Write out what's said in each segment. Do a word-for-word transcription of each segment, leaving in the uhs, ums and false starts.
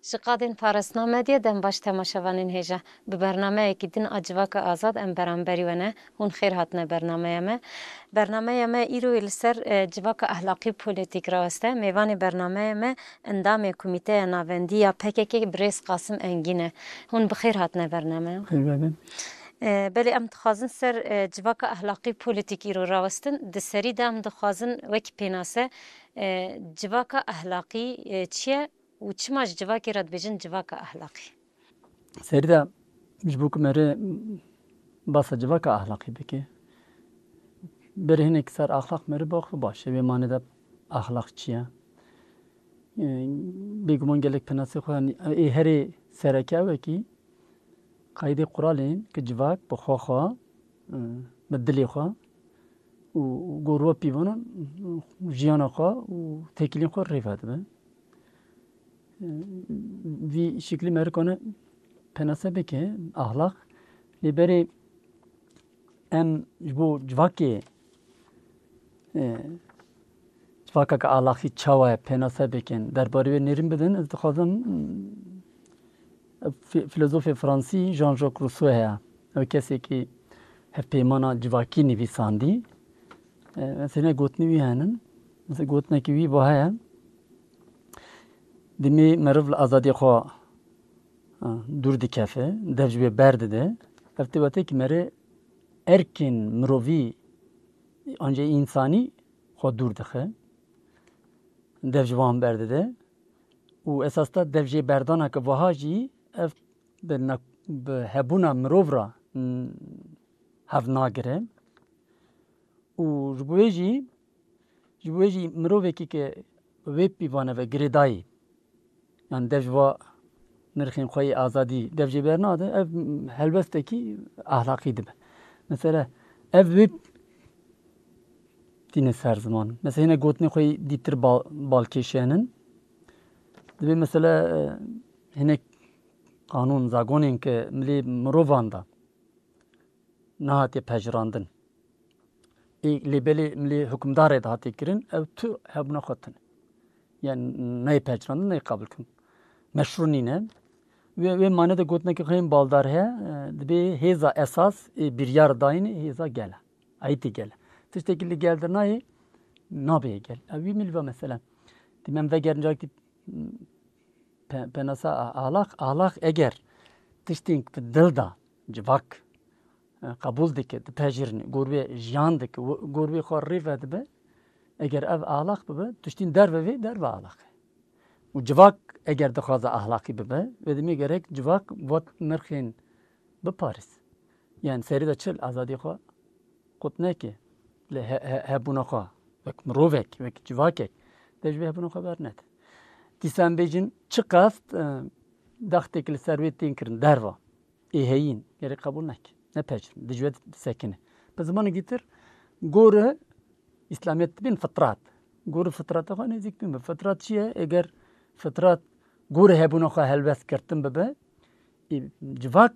Ji qadên parastina medyê dem baş temaşevanên hêja. Bi bernameyekî din a Civaka Azad em beramberî we ne. Hûn xêr hatine bernameya me. Bernameya me îro yê li ser, e, civaka ehlaqî û polîtîk raweste. Mêvanê bernameya me endamê Komîteya Navendî ya P K K birêz Qasim Engîn e. Hûn bi xêr hatine bernameya. Xêr be. E, belê em dixwazin ser, e, civaka ehlaqî polîtîk îro rawestin. Di serî de em dixwazin wekî pênase, e, civaka ehlaqî, e, çi ye û çima ji civakê re dibêjin civaka ehlaqî? Serî de ji bo ku merê basa civaka ahlaqî bike, berê hinek ser axlaq merê baxwe baş e. Wê mane de axlaq çi ye? E, bêguman gelek penasê xwe, yanî, ê herê sereke ew e kî qaydê quralên ki civak bi xwe xwe, e, bi dilê xwe û gor we pîvanan jiyana xwe û têkiliyên xwe rêve dibe. E, vî şiklî merikane penase bike, axlaq. Lê berê em ji bo civakê, e, civakeke axlaqî çawa ye, penase bikin, derbarê wê nêrîn bidin, ez dixwazim, mm, fi-, filozofê fransî Jean-Jacques Rousseau heye. Ew kesekî hevpeymana civakî nivîsandî. E, mesela gotinê wî henin. Mesela gotinekî wî va heye. Dimê meriv li azadiyê xwe, e, dûr dikeve, dev ji wê berdide. Ev tê wete ki merê erkên mirovî, ancê însanî xwe dûr dixe. Dev ji wan berdide. Û esas de dev jê berdana ki vaha jî ev bi ne-, bi hebûna mirov re, mm, hev nagire. Û ji bo wê jî, ji bo wê jî mirovekî ke wê pîvane ve girêdayî, yan dev ji va nirxên xwe yê azadî dev jê bernade, ev helwestekî ahlaqî dibe. Mesela, ev wê tîne ser ziman. Mesela, hinek gotinê xwe yê dîtir bal-, balkêşenin. Dibê mesela, e, hinek qanûn, zagonên ke milê mirovan de nehatiye pejirandin. Ê, lê belê milê hukimdarê de hatiye kirin, ew tu hebûna xwe tune. Yani neyê pejirandin, neyê qabul kirin. Meşrû nîne. Wê, wê mane de gotineke xwe yên baldar heye, e, dibê hêza esas ê biryar dayînê hêza gel e. Ayîtê gel e. Tiştekî li gel de nayê, nabê gel. Ew wî milî va mesela. Dîmen vegerin carekî pe-, penasa a-, ahlak, ahlak eger tiştên bi dil de civak, e, qebûl dike, dipejirîne, gor wê jiyan dike, wi-, gor wê xwe rê vedibe, eger ev ahlak bibe, tiştên derve vê, derve ahlak e. Û civak eger dixwaze ahlakî bibe, wê demê gerek civak vat nirxên biparêz. Yani serî de çil azadî xwe qut neke, lê he-, he-, hebûna xwe wek mirovek, wek civakek, de ji vê hebûna xwe bernede. Dîsa em bêjin çiqas, e, daxtêk li ser wê tên kirin derva, ê heyîn, gerek qebûl neke, nepejirîn, dijwe disekine. Bi zimanekî tir, gor îslamiyet dibên fitrat. Gor fitrata xwe nêzîk bûn be. Fitrat çi ye? Eger fitrat gor hebûna xwe helwest girtin bibe, ê, civak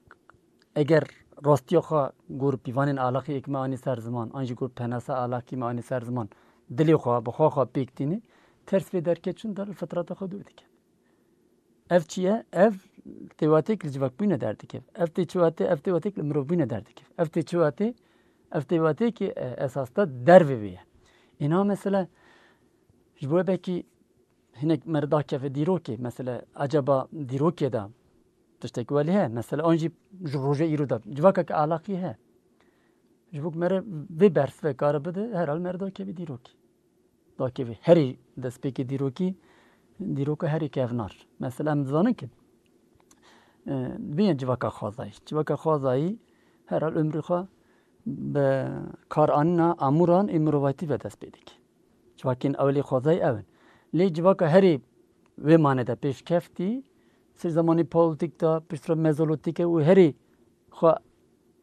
eger rastiya xwe gor pîvanên alaqî êk me anî ser ziman, an jî gor penasa alaqî me anî ser ziman, dilê xwe, bi xwe xwe pêk tîne, ters vê derket çûn der li fitrata xwe dûr dike. Ev çi ye? Ev têwatêk li civakbûyîne derdikeve. Ev têçiwatê, ev têwatêk li mirovbûyîne derdikeve. Ev têçiwatê, ev têwatêkî, e, esas de dervê wê ye. Îna mesela ji bo belkî hinek mere dakeve dîrokê, mesela acaba dîrokê de tiştek welî heye? Mesela an jî ji roja îro de civakeke alaqî heye. Ji bo ku mere vê bersive kare bide, herhal mere dakeve dîrokê. Dakevî herî destpêkê dîrokî, dîroka herî kevnar. Mesela em dizanin ki, e, bîne civaka xwezayî. Civaka xwezayî herhal umrê xwe bi karanîna amûran ê mirovatî ve dest pê dike. Civakên ewilî xwezayî ew in. Lê civaka herî wê mane de pêşkeftî, ser zemanê paleolîtîk de, piştre mezolîtîk e û herî xwe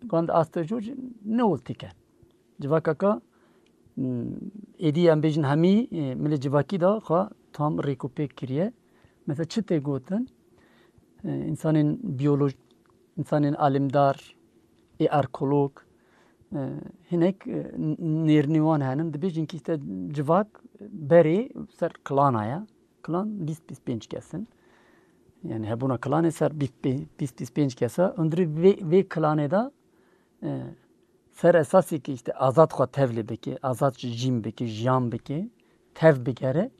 gand asta jor jî newiltîk e. Civakaka, m, êdî em bêjin hemî, e, milê civakî de xwe tam rêk û pêk kiriye. Mesela çi tê gotin? E, însanên biyoloj-, însanên alimdar, ê arkeolog, e, hinek, e, n-, nêrînê wan henin, dibêjin ki işte civak berê ser klana ye. Klan bîst bîst pênc kes in. Yani hebûna klanê ser bîst, bîst, bîst pênc kesa, hundirî vê, vê klanê de, e, ser esasê ki işte azad xwe tevlê bike, azad jîn bike, jiyan bike, tev bigere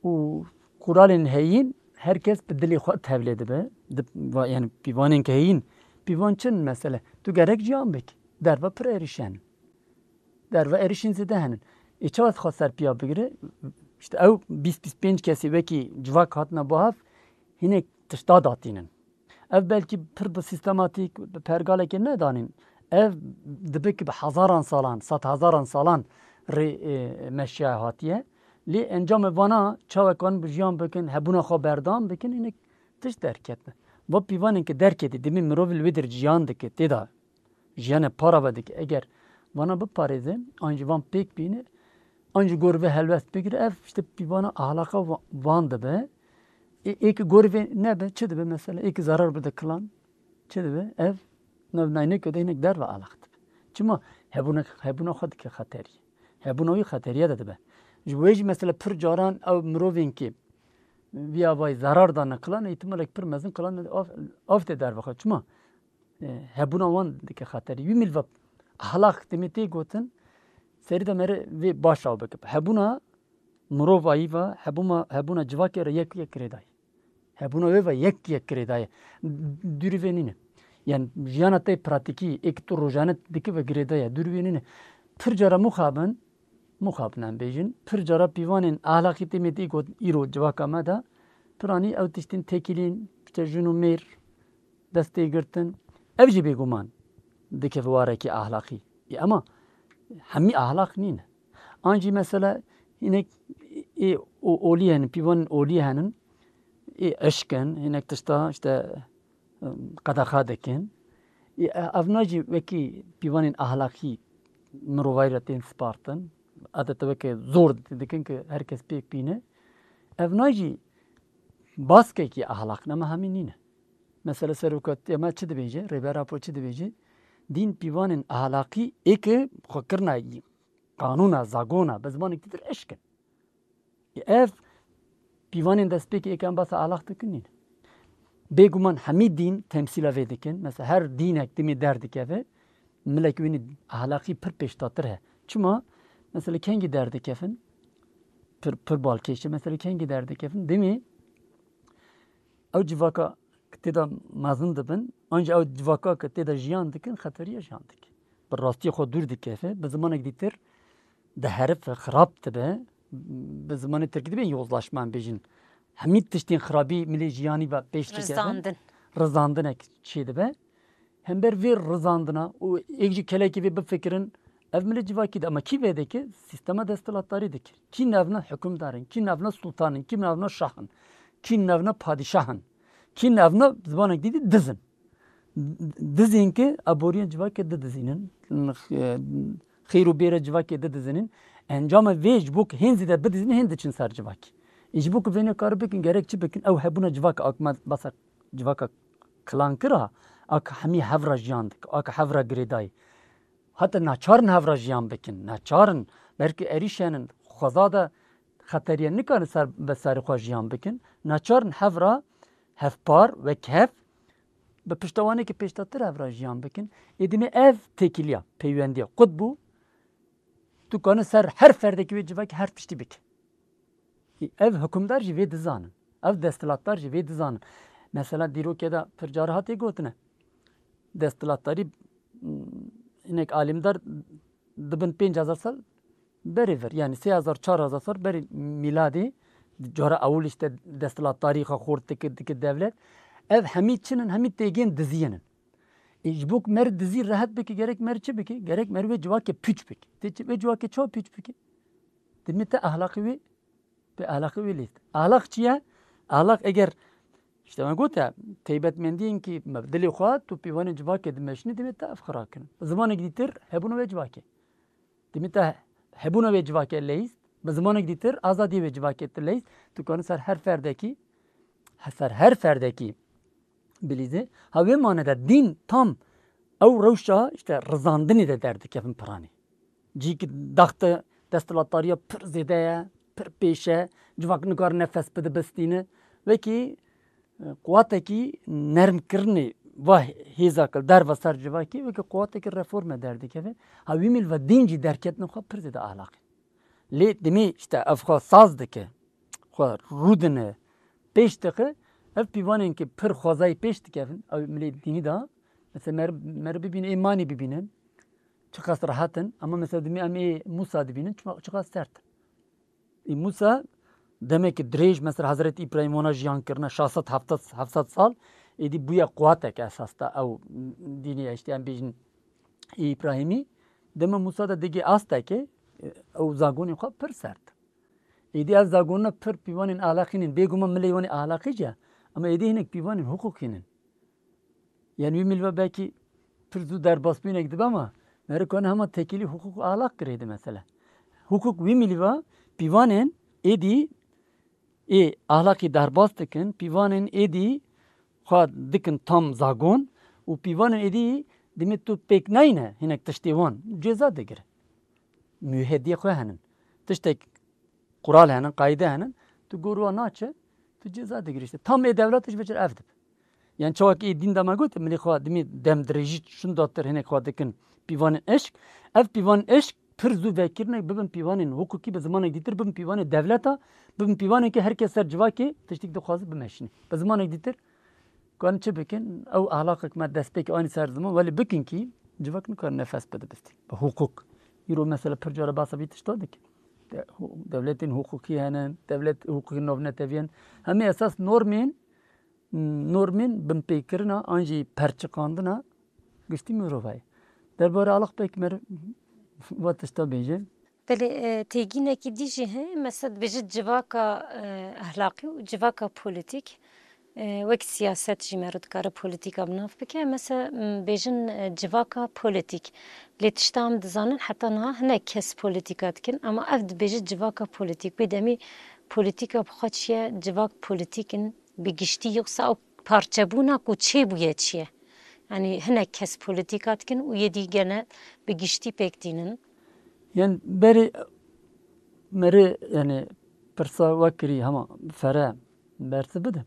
û quralên heyîn her kes bi dilê xwe tevlê dibe. Di, va-, yani pîvanên ke heyîn, pîvan çin mesele. Tu gerek jiyan bike. Derve pir êrîşen. Derve êrîşên zêde henin. Ê çawa xwe ser piya bigire? İşte ew bîst bîst pênc kesî wekî civak hatine bo hev, hinek tişta datînin. Ev belkî pir bi sîstematîk, bi pergalekê nedanîn. Ev dibe ki bi hezaran salan, sed hezaran salan rê, e, meşiya hatiye. Lê encamê vana çawekan bi jiyan bikin, hebûna xwe berdewam bikin, hinek tişt derketine. Va pîvanên ki derketî, dimî mirov li wê dir jiyan dike, tê de jiyane para ve dike. Eger vana biparêze, an jî van pêk bîne, an jî gor vê helwest bigire, ev işte pîvana ahlaqa va-, van dibe. Ê, ê ki gor vê nebe, çi dibe mesela? Ê ki zarar bide kilan, çi dibe? Ev, nav nayne ke de hinek derve ahlaq dibe. Çima? Hebûna, hebûna xwe dike xeterî. Hebûna wî xeteriye de dibe. Ji bo wê jî mesela pir caran ew mirovên ki vî avayî zarar dane kilan, îhtimalek pir mezin kilan av, av tê derve xwe. Çima? E, hebûna wan dike xeterî. Wî milve ahlak demê tê gotin, serî de mere vê baş av bike. Hebûna mirovayî ve, hebûna, hebûna civakê re yek yek girêdayî. Hebûna wê ve yek yek girêdayî. Dûrî vê nîne. Yani jiyana te pratîkî, ê ki tu rojane dike ve girêdayî. Dûrî vê nîne. Pir cara mixabin, mixabin em bêjin, pir cara pîvanên ahlakî tê me tê got îro civaka me de, piranî ew tiştên têkilîn, işte jin û mêr, dest tê girtin. Ev jî bêguman dikeve warekî ahlaqî. Ê, ema hemî ahlaq nîne. An jî mesela hinek ê o-, olî henin, pîvanên olî henin, ê eşk in, hinek tişta işte, em, qedexa dikin. Ê, e, evna jî wekî pîvanên ahlaqî mirovayî re tên spartin. Adeta weke zor dikin ki her kes pêk bîne. Evna jî baskekî ahlaq ne, me hemî nîne. Mesela serokatiya me çi dibêje? Rêber Apo çi dibêje? Dîn pîvanên ahlaqî ê ki xwe kirina qanûna, zagona, bi zimanekî dir eşk in. Ev pîvanên destpêkê ê ki em behsa ahlaq dikin nîne. Bêguman hemî dîn temsîla vê dikin. Mesela her dînek dimê derdikeve, milek wînî ahlaqî pir pêştatir he. Çima? Mesela kengî derdikevin? Pir, pir balkêş e. Mesela kengî derdikevin? Dimê ew civaka tê de mezin dibin, an jî ew civaka ke tê de jiyan dikin, xeteriya jiyan dike. Bi rastiyê xwe dûr dikeve, bi zimanek dîtir diherife, xirab dibe, bi zimanê tirkî dibê yozlaşma em bêjin. Hemî tiştên xirabî milê jiyanî ve pêş dikevin. Rizandin. Rizandinek çêdibe. Hember vê rizandina û êk jî kelekî vê bifikirin, ev milê civakî de, ama kî vê dike? Sîstema desthilatdarî dikir. Kî nevna hukimdar in, kî nevna sultan in, kî nevna şah in, kî nevna padîşah in, kî nevna zimanek dî dî diz in. Dizên ki aboriyên civakê didizînin, xêr û bêra civakê didizînin. Encama vê ji bo ku hên zêde bidizînin, hên diçin ser civakê. Ê ji bo ku vê nekare bikin, gerek çi bikin? Ew hebûna civaka, ak me basa civaka kilan kira, ak hemî hev re jiyan dike, ak hev re girêdayî. Heta naçarin hev re jiyan bikin, naçarin, belkî êrîşenin, xweza de xeteriye nikarin ser, bi serê xwe jiyan bikin. Naçarin hev re hevpar, wek hev, bi piştewanekî pêştatir hev re jiyan bikin. Ê dimê ev têkiliya, peywendiya qut bû, tu kanî ser her ferdekî wê civakî her tiştî bike. Ev hukimdar jî vê dizanin. Ev desthilatdar jî vê dizanin. Mesela dîrokê de pir car hatê gotine. Desthilatdarî, m, hinek alîmdar dibin pênc hezar sal berê vir. Yani sê hezar, çar hezar sal berê mîladê, cara ewil işte desthilatdarî xwe xort dikir, dikir devlet. Ev hemî çin in, hemî têgên diziyên in. Ê, ji bo ku mer dizî rehet bike, gerek mer çi bike? Gerek mer wê civakê pûç bike. Tê çi, wê civakê çawa pûç bike? Dimê te ahlaqî wê, bi ahlaqî wê lêst. Ahlaq çi ye? Ahlaq eger, işte me gote, taybetmendiyên ki me dilê xwe, tu pîvanên civakê dimeşînî, dimê te ev xira kirin. Zimanek dîtir hebûna wê civakê. Dimê te hebûna wê civakê leyst, bi zimanek dîtir azadiyê wê civakê tu leyst, tu kanî ser her ferdekî, ser her ferdekî bilîzê. Ha wê mane de dîn tam ew rewşa işte rizandinê de derdikevin piranî. Cî ki daxte desthilatdariya pir zêde ye, pir pêş e, civak nikare nefes bide bistîne. Wekî Quwatekî nermkirinê va hêza ki derva ser civakê weke quwatekî reforme derdikeve. Ha wî mîl ve din jî derketin xwe pir zêde ahlaqî. Lê dimê işte ev xwe saz dike, xwe rûdine, pêş dixe, ev pîvanên ki pir xwezayî pêş dikevin, ew milê dînî de, mesela mer, mer bibînin, ê manî bibînin, çiqas rehet in, ama mesela dimê em ê Mûsa dibînin, çima, çiqas sert in. Ê Mûsa demekî dirêj, mesela Hezretî Îbrahîm wana jiyan kirine, şeş sed heft sed, heft sed sal, êdî bûye quwatek esas da ew dînê, işte em bêjin ê Îbrahîmî, dema Mûsa de digê astekê, ew zagonê xwe pir sert. Êdî ev zagonina pir pîvanên ahlaqî nin, bêguman milê wan ê ahlaqî jî ye, ama êdî hinek pîvanên hiqûqî nin. Yani wî mîl ve belkî pir zû derbasbûynek dibe ama merikan hema tekîlî hiqûq û ahlaq girêdi mesele. Hiqûq wî mîl ve pîvanên êdî ê ahlaqî derbas dikin, pîvanên êdî xwe dikin tam zagon û pîvanên êdî dimê tu pêk neyne hinek tiştê wan ceza digire. Muhediyê xwe henin. Tiştek qural henin, qayde henin, tu gor wa naçe, tu ceza digirî işte. Tam ê dewlet ji biçir ev dibe. Yani çawa ki ê dîn de me got, milî xwe dimî dem dirêjî şun datir hinek xwe dikin pîvanên eşk. Ev pîvanên eşk pir zû vekirinek bibin pîvanên hukukî, bi zimanek dîtir bibin pîvanê dewleta, bibin pîvanên ki her kes ser civakê tiştik dixwazi bimeşîne. Bi zimanek dîtir Karin çi bikin? Ew ahlaqek me destpêk anî ser ziman, welê bikin kî civak nikarin nefes bide bistî. Bi hukuk. Îro mesela pir cara behsa vî tişta dikin. De-, hu-, dewletên hukukî hene, dewlet hukukên navnetewî hene. Hemî esas normên, normên binpêkirina an jî perçiqandina giştî mirovayê. Derbarê ahlaq pêk meriv va tişta bêje. Belê, e, têgînekî dî jî heye, mesela dibêje civaka, e, ehlaqî û civaka polîtîk, e, wek siyaset jî meriv dikare polîtîka bi nav bike. Mesela, m, bêjin, e, civaka polîtîk. Lê tişta em dizanin heta niha hinek kes polîtîka dikin, ama ev dibêje civaka polîtîk. Wê demî polîtîka bi xwe çi ye, civak polîtîk in bi giştî, yoksa ew parçebûna ku çêbûye çi ye? Yanî hinek kes polîtîka dikin û yê dî gene bi giştî pêk tînin. Yan berê merê, yani pirsa we kirî hema fere bersi bide.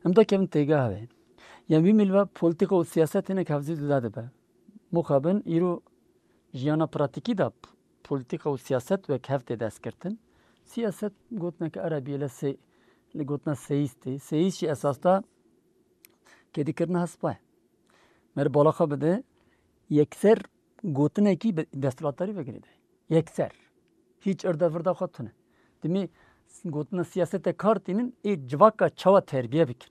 Em da kevin têgeha wê. Yan wî mîl ve polîtîka û siyaset hinek hevzî cuda dibe. Muxabin îro jiyana pratîkî de p-, polîtîka û siyaset wek hev tê destgirtin. Siyaset gotineke erebî ye, li sê-, li gotina seyîs tê. Seyîs jî esas da kedîkirina hespa ye. Meriv bala xwe bide, yekser gotinekî bi desthilatdarî vegirêdayî. Yekser. Hîç irda virda xwe tune. Dimê gotina siyasete kar tînin, ê civaka çawa terbiye bikin.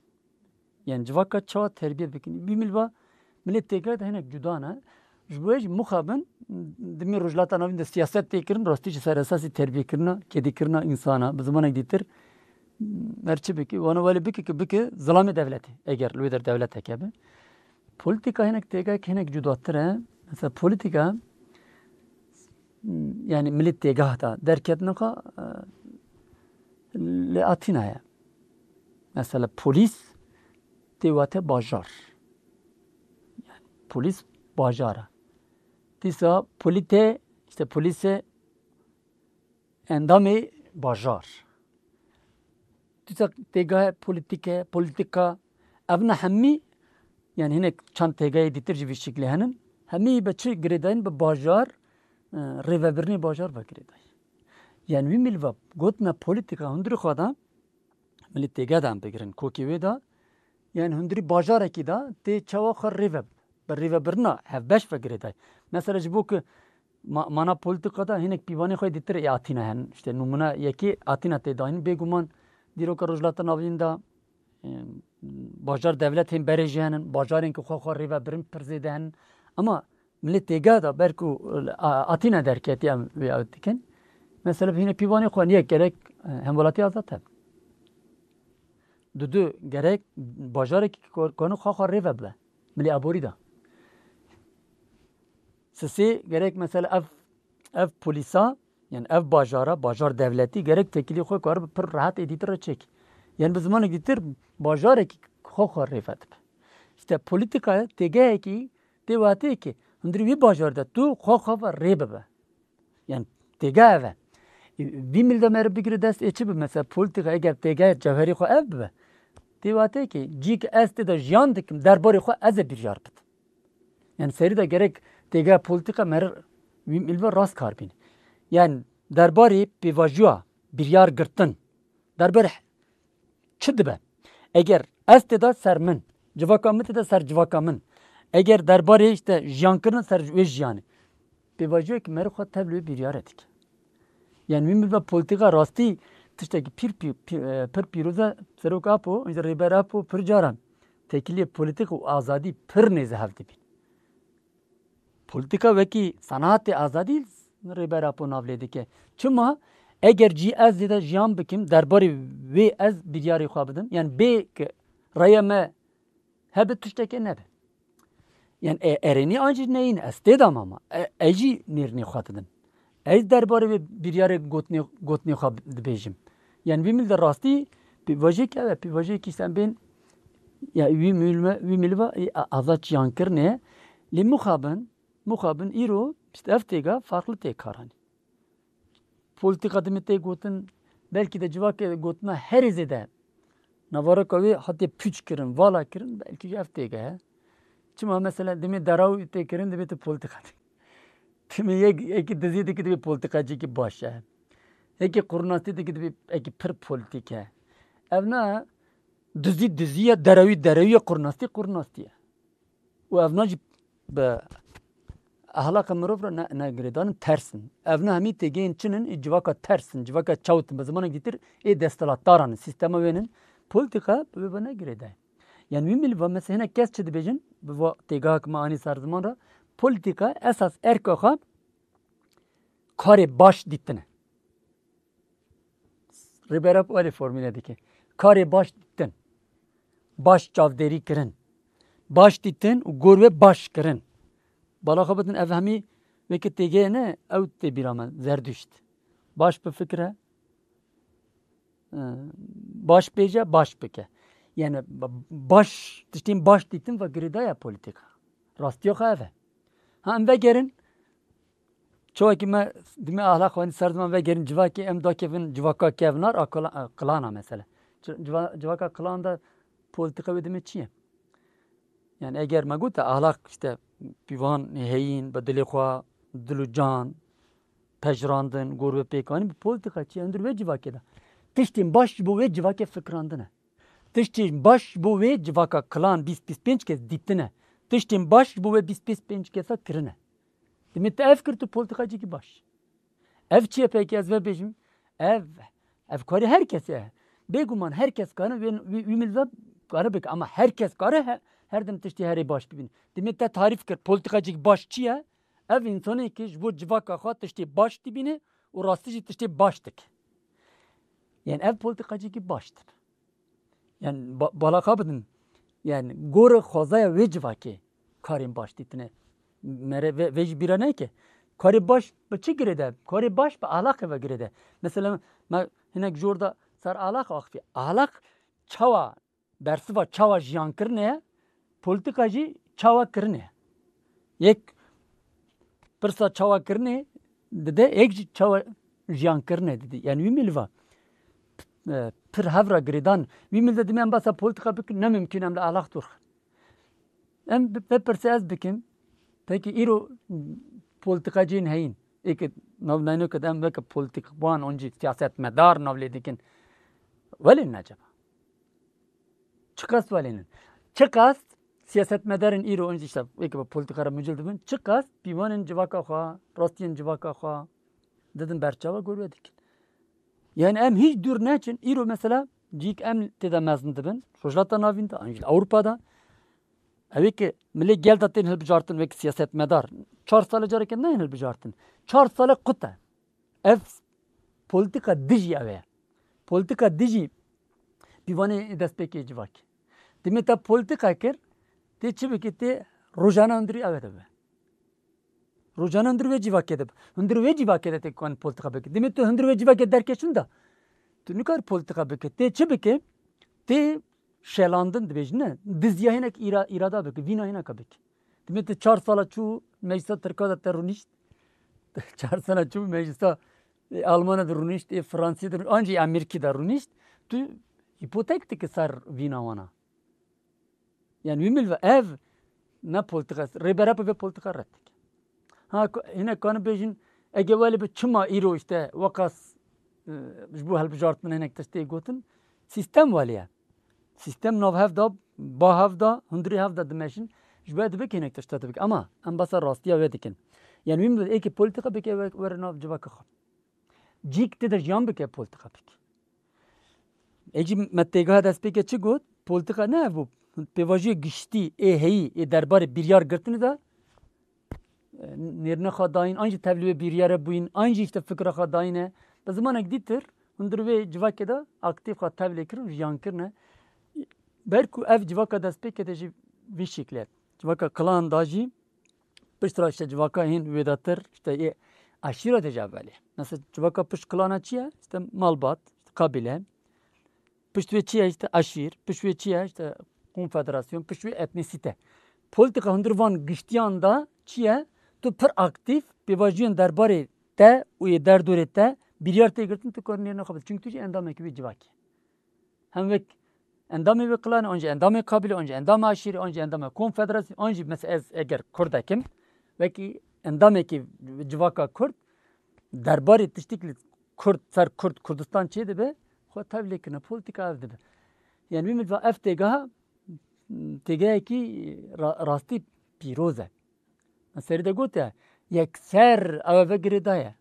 Yani civaka çawa terbiye bikin. Bî milva milê têgay de hinek cuda ne. Ji bo jî muxabin dimê Rojhilata Navîn de siyaset tê kirin, rastî jî ser esasî terbiyekirina, kedîkirina însana, bi zimanek dîtir, her çi bike, wana welê bike ki bike zilamê dewletê, eger li wê der dewlet heke be. Polîtîka hinek têgayek hinek cudatir e. Mesela polîtîka, yani milê têgah da derketina xwe, e, li Atîna ye. Mesela polîs tê wate bajar. Yani polîs bajar e. Dîsa polîte, işte polîse endamê bajar. Dîsa têgahê polîtîke, polîtîka, evna hemî, yani hinek çend têgahê dîtir jî vî şiklê henin, hemî bi çi girêdayîn? Bi bajar, e, rêvebirinê bajar ve girêdayî. Yani wî milva gotina polîtîka hundirî xwe de, milî têge de em bigirin, kokê wê de, yani hundirî bajarekî de tê çawa xwe rêve, bi rêvebirina hevbeş ve girêdayî. Mesela ji bo ku ma-, mana polîtîka de hinek pîvanê xwe dîtir ê Atîna henin. İşte nûmuna yekê Atîna tê dayîn. Bêguman dîroka Rojhilata Navîn de, e, bajar dewlet hên berê jî henin, bajarên ku xwe xwe rêvebirin pir zêde henin. Ama milê têga de ber ku, a-, Atîna derketî em vê ew dikin. Mesela hîne pîvanê xwe niye gerek, e, hemwelatî azad hebin. Dudu gerek bajarekî kor-, konu xwe xwe rêve bibe. Milê aborî de. Sisê gerek mesela ev, ev polîsa, yani ev bajara, bajar dewletî gerek tekilî xwe karibe pir rehet ê dîtir re çêkî. Yani bi zimanek dîtir bajarekî xwe xwe rêve dibe. İşte polîtîka têgehekî tê watê ki hundirî wî bajar de tu xwe xwe ve rê bibe. Yani têgeh ev e. Vî mil de meriv bigire dest ê çi bi? Mesela polîtîka eger têgeh cewherî xwe ev bibe, Tê wate ki cî ki ez tê de jiyan dikim, derbarê xwe ez ê biryar bidim. Yani serî de gerek têgeha polîtîka meri wî milve rast kar bîne. Yani derbarê pêvajoya biryar girtin, derbarê çi dibe? Eger ez tê de ser min, civaka min tê de ser civaka min, eger derbarê işte jiyan kirin ser wê jiyanê, pêvajoyek meri xwe tevlê wê biryare dike. Yani wî milve polîtîka rastî tiştekî pîr, pî-, pî-, e, pir pîroz e. Serok Apo, îşte Rêber Apo pir caran têkiliyê polîtîk û azadî pir nêze hev dibîn. Polîtîka wekî senatê azadî Rêber Apo nav lê dike. Çima? Eger cî ez zêde jiyan bikim, derbarê wê ez biryarê xwe bidim. Yani bê ki reye me hebe tiştekê nebe. Yani e, erênî an jî neyîn, ez tê de mam a. E, ez jî nêrînê xwe didim. Ez derbarê vê biryarê gotinê, gotinê xwe dibêjim. Yani vî mil de rastî pêvajoyek ev e, pêvajoyekî sen bên, ya wî milve, wî milva, e, a-, azad jiyan kirine. Lê mixabin, mixabin îro, işte ev têga farklı tê karanî. Polîtîka dimê tê gotin, belkî de civakê gotina herê zêde navareka wê hatiye pûç kirin, vala kirin, belkî jî ev têge he. Çima mesela dimê deraw tê kirin, dimê tu polîtîka dikî. Dimê yek, yekî dizî dikî, dimê polîtîkacîkî baş e. Yekî qurnastî dikî, dimê yekî pir polîtîk e. Ev na dizî dizî ye, derewî derewî ye, qurnastî qurnastî ye. Û ev na jî bi ehlaqa mirov re ne, ne girêdan in, ters in. Ev na hemî têgehên çi in, ê civaka ters in, civaka çewt in, bi zimanek dîtir ê desthilatdaran in, sîstema wê in. Polîtîka bi wê ve ne girêdayî. Yani wî milî va mesela hinek kes çi dibêjin, bi va têgehek me anî ser ziman re, polîtîka esas erka xwe karê baş dîtin e. Rêber Apo wê formîle dike. Karê baş dîtin. Baş çavdêrî kirin. Baş dîtin û gor wê baş kirin. Bala xwe bidin, ev hemî weke têgehê ne, ew tê bîra me, Zerdüşt. Baş bifikire, e, baş bêje, baş bike. Yani ba-, baş, tiştên baş dîtin ve girêdaya polîtîka. Rastiya xwe ev e. Ha, em vegerin, çawekî me dimê ahlaq xwe ser ziman vegerin civakê, em dakevin civaka kevnar a kla-, a klana mesela. Ci-, civa-, civaka klan de polîtîka wê dimê çi ye? Yani eger me gote ahlaq işte pîvan heyîn, bi dilê xwe, dil û can, pejirandin, gor ve pêkanî, bi polîtîka çi ye? Hundir wê civakê de. Tiştên baş ji bo wê civakê fikirandin e. Tiştên baş ji bo wê civaka klan bîst bîst pênc kes dîtin e. Tiştên baş ji bo wê bîst bîst pênc kesa kirine. Dimê te ev kir, tu polîtîkacîkî baş. Ev çi ye peki, ez vê bêjim? Ev, ev karê her kesê ye. Bêguman her kes kare wê, wî, wî milve kare bike. Ama her kes kare he-, her dem tiştê herê baş bibîne. Dimê te tarîf kir, polîtîkacîk baş çi ye? Ev însanê ki ji bo civaka xwe tiştê baş dibîne û rastî jî tiştê baş dike. Yani ev polîtîkacîkî baş dibe. Yani ba-, balaxa bidin. Yani gorê xwezaya wê civakê karên baş dîtine. Mere ve, vê jî bîra neke. Karê baş bi çi girêde? Karê baş bi alaxê ve girêde. Mesela me hinek jor da ser alax axifî. Alax çawa, bersiva çawa jiyan kirine ye, polîtîka jî çawa kirine ye. Yek pirsa çawa kirinê dide, yek jî çawa jiyan kirinê dide. Yani wî milva, e, pir hev re girêdan. Wî milve dimê em basa polîtîka bikin, ne mimkun em li alax dûr xin. Em bi-, vê pirsê ez bikim, peki îro polîtîkaciyên heyîn, ê ki navnayno ke em weke polîtîkban, oncî siyasetmedar nav lê dikin. Welê ne acaba? Çiqas welênin. Çiqas siyasetmedarên îro, in işte weke bi polîtîka re mucil dibin, çiqas pîvanên civaka xwe, rastiyên civaka xwe didin berçava, gor wê dikin. Yani em hiç dûr neçin. Îro mesela cîk em tê de mezin dibin. Rojhilata Navîn de, an jî Ewropa de. Ew ê ki milê gel de tên hilbijartin wek siyasetmedar. Çar sale careke nayên hilbijartin. Çar sale qut e. Ev polîtîka dijî ew e. Polîtîka dijî pîvanê destpêkê civakê. Dimê te polîtîka kir, tê çi bikî, tê rojane hundirî ew e dibe. Rojane hundir wê civakê de, hundir wê civakê de tê kan polîtîka bikî. Dimê tu hundir wê civakê derkeşin de, tu nikar polîtîka bikî. Tê çi bikî? Tê şelandin dibêjin, ne? Diziya hinek îra-, îrada bikî, vîna hineka bikî. Dimê tu çar sala çû meclisa Tirka de te rûnişt. Çar sala çû meclisa, e, Almanya de rûnişt, e, Fransî de rûnişt, ancî Amerîkî de rûnişt. Tu Hîpotek dike ser vîna wana. Yani wî milve ev ne politika, rêbera bi vê politika red dike. Ha, ko-, hinek kanin bêjin, ege welê bi çima îro işte weqas, e, ji bo hilbijartin hinek tiştê gotin, sîstem welê ye. Sîstem nav hev da, ba hev da, hundirê hev da dimeşin. Ji bo dibe ki hinek tişta dibik. Ama em basa rastiya wê dikin. Yani wî milve êkê politika bike we-, were nav civaka xwe. Cîk tê de jiyan bike politika bike. Ê jî me têgeha destpêkê çi got? Politika ne ev bû. Pêvajoyê giştî ê heyî ê derbarê biryar girtinê de, e, nêrine xwe dayîn, an jî tevlî wê biryare bûyîn, an jî işte fikra xwe dayîne. Bi zimanek dîtir hundir wê civakê de aktîf xwe tevlê kirin, jiyan kirine. Ber ku ev civaka destpêkê de jî vî şekilê. Civaka kilan da jî pişt re işte civaka hîn wêdatir, işte ê aşîra de jî ev welê. Mesela civaka pişt kilana çi ye? İşte malbat, işte kabîle. Pişt wê çi ye? İşte aşîr. Pişt wê çi ye? İşte konfederasyon. Pişt wê etnisite. Politika hundir van giştiyan da çi ye? Tu pir aktîf pêvajoyên derbarê te û yê derdorê te biryar tê girtin, tu karî nêrine xwe bidî. Çünkü tu jî endamekî wê civakî. Hem wek endamê wê kilanê, an jî endamê kabîlê, an jî endamê aşîrê, an jî endamê konfederasyonê, an jî mesela ez eger Kurdek im, wekî endamekî civaka Kurd, derbarê tiştik li Kurd, ser Kurd, Kurdistan çê dibe, xwe tevlê kirine, politika ev dibe. Yani wî milva ev têgeha, têgehekî ra-, rastî pîroz e. Me serî de gote, yekser ew eve girêdaye.